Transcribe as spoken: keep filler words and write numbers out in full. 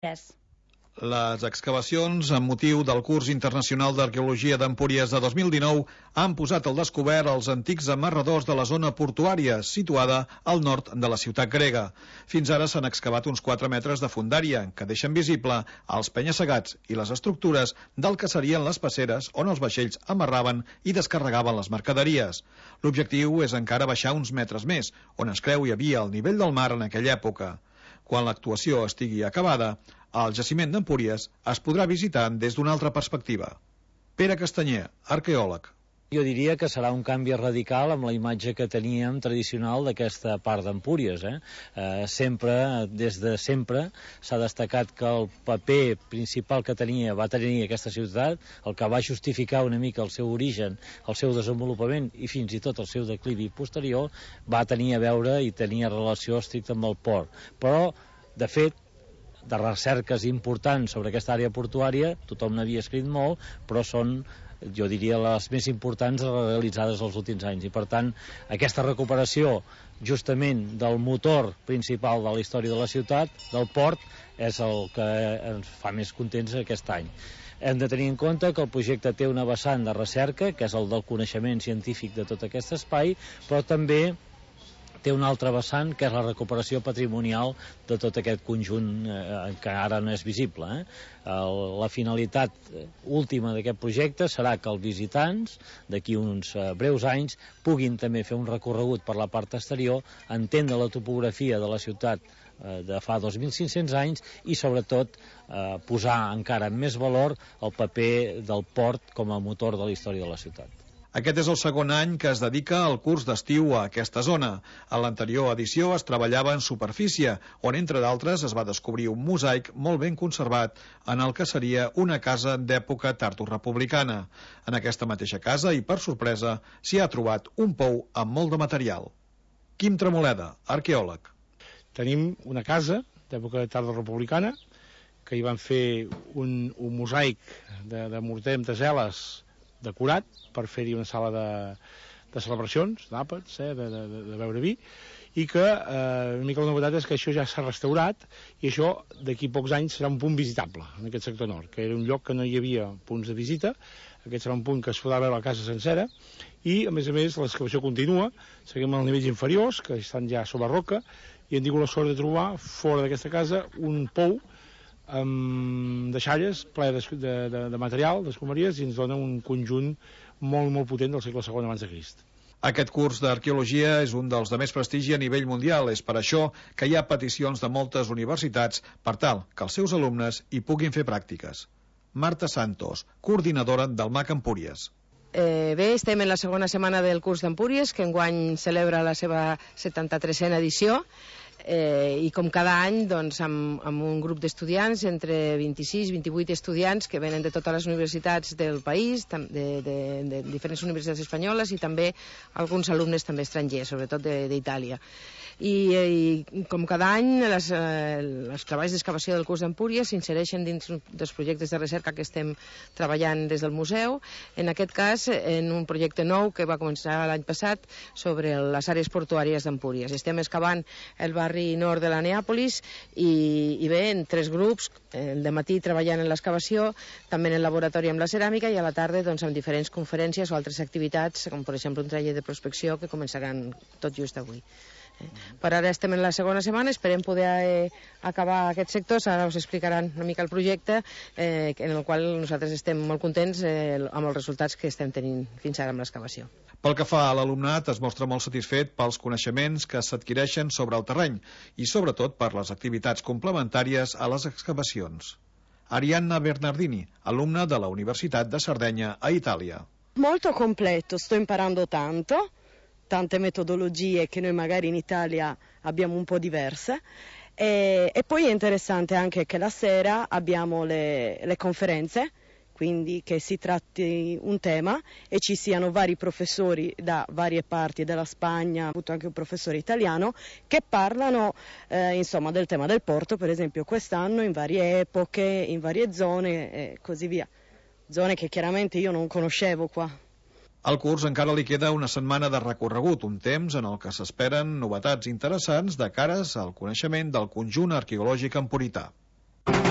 Yes. Les excavacions amb motiu del curs internacional d'arqueologia d'Empúries de dos mil dinou han posat al descobert els antics amarradors de la zona portuària, situada al nord de la ciutat grega. Fins ara s'han excavat uns quatre metres de fondària, que deixen visible els penya-segats i les estructures del que serien les passeres on els vaixells amarraven i descarregaven les mercaderies. L'objectiu és encara baixar uns metres més, on es creu hi havia el nivell del mar en aquella època. Quan l'actuació estigui acabada, el jaciment d'Empúries es podrà visitar des d'una altra perspectiva. Pere Castanyer, arqueòleg. Jo diria que serà un canvi radical amb la imatge que teníem tradicional d'aquesta part d'Empúries. Eh? Eh, sempre, des de sempre, s'ha destacat que el paper principal que tenia, va tenir aquesta ciutat, el que va justificar una mica el seu origen, el seu desenvolupament i fins i tot el seu declivi posterior, va tenir a veure i tenia relació estricta amb el port. Però, de fet, de recerques importants sobre aquesta àrea portuària, tothom n'havia escrit molt, però són, jo diria, les més importants realitzades els últims anys. I, per tant, aquesta recuperació justament del motor principal de la història de la ciutat, del port, és el que ens fa més contents aquest any. Hem de tenir en compte que el projecte té una vessant de recerca, que és el del coneixement científic de tot aquest espai, però també té un altre vessant, que és la recuperació patrimonial de tot aquest conjunt eh, que ara no és visible. Eh? El, la finalitat última d'aquest projecte serà que els visitants, d'aquí uns eh, breus anys, puguin també fer un recorregut per la part exterior, entendre la topografia de la ciutat eh, de fa dos mil cinc-cents anys i, sobretot, eh, posar encara en més valor el paper del port com a motor de la història de la ciutat. Aquest és el segon any que es dedica al curs d'estiu a aquesta zona. A l'anterior edició es treballava en superfície, on, entre d'altres, es va descobrir un mosaic molt ben conservat en el que seria una casa d'època tardorepublicana. En aquesta mateixa casa, i per sorpresa, s'hi ha trobat un pou amb molt de material. Quim Tremoleda, arqueòleg. Tenim una casa d'època tardorepublicana que hi van fer un, un mosaic de, de morter amb teseles decorat per fer-hi una sala de, de celebracions, d'àpats, eh, de, de, de beure vi, i que eh, una mica la novetat és que això ja s'ha restaurat i això d'aquí pocs anys serà un punt visitable en aquest sector nord, que era un lloc que no hi havia punts de visita. Aquest serà un punt que es podrà veure la casa sencera i, a més a més, l'excavació continua. Seguim als nivells inferiors, que estan ja sobre roca, i hem tingut la sort de trobar fora d'aquesta casa un pou amb deixalles ple de, de, de material, d'escomeries, i ens dona un conjunt molt, molt potent del segle segon abans de Crist. Aquest curs d'arqueologia és un dels de més prestigi a nivell mundial. És per això que hi ha peticions de moltes universitats per tal que els seus alumnes hi puguin fer pràctiques. Marta Santos, coordinadora del M A C Empúries. Eh, bé, estem en la segona setmana del curs d'Empúries, que enguany celebra la seva setanta-tresena edició. Eh, i com cada any, doncs, amb, amb un grup d'estudiants, entre vint-i-sis i vint-i-vuit estudiants que venen de totes les universitats del país, de, de, de diferents universitats espanyoles, i també alguns alumnes també estrangers, sobretot d'Itàlia. I, i com cada any, les, eh, els treballs d'excavació del curs d'Empúries s'insereixen dins dels projectes de recerca que estem treballant des del museu, en aquest cas en un projecte nou que va començar l'any passat sobre les àrees portuàries d'Empúries. Estem excavant el barri nord de la Neàpolis i, i bé, en tres grups, el de matí treballant en l'excavació, també en el laboratori amb la ceràmica, i a la tarda doncs, amb diferents conferències o altres activitats, com per exemple un taller de prospecció que començaran tot just avui. Per ara estem en la segona setmana, esperem poder eh, acabar aquest sector. Ara us explicaran una mica el projecte, eh, en el qual nosaltres estem molt contents eh, amb els resultats que estem tenint fins ara amb l'excavació. Pel que fa a l'alumnat, es mostra molt satisfet pels coneixements que s'adquireixen sobre el terreny i sobretot per les activitats complementàries a les excavacions. Arianna Bernardini, alumna de la Universitat de Sardegna a Itàlia. Molto completo, sto imparando tanto. Tante metodologie che noi magari in Italia abbiamo un po' diverse, e, e poi è interessante anche che la sera abbiamo le, le conferenze, quindi che si tratti un tema e ci siano vari professori da varie parti della Spagna, ho avuto anche un professore italiano, che parlano eh, insomma del tema del porto, per esempio quest'anno in varie epoche, in varie zone e così via, zone che chiaramente io non conoscevo qua. Al curs encara li queda una setmana de recorregut, un temps en el que s'esperen novetats interessants de cares al coneixement del conjunt arqueològic empurità.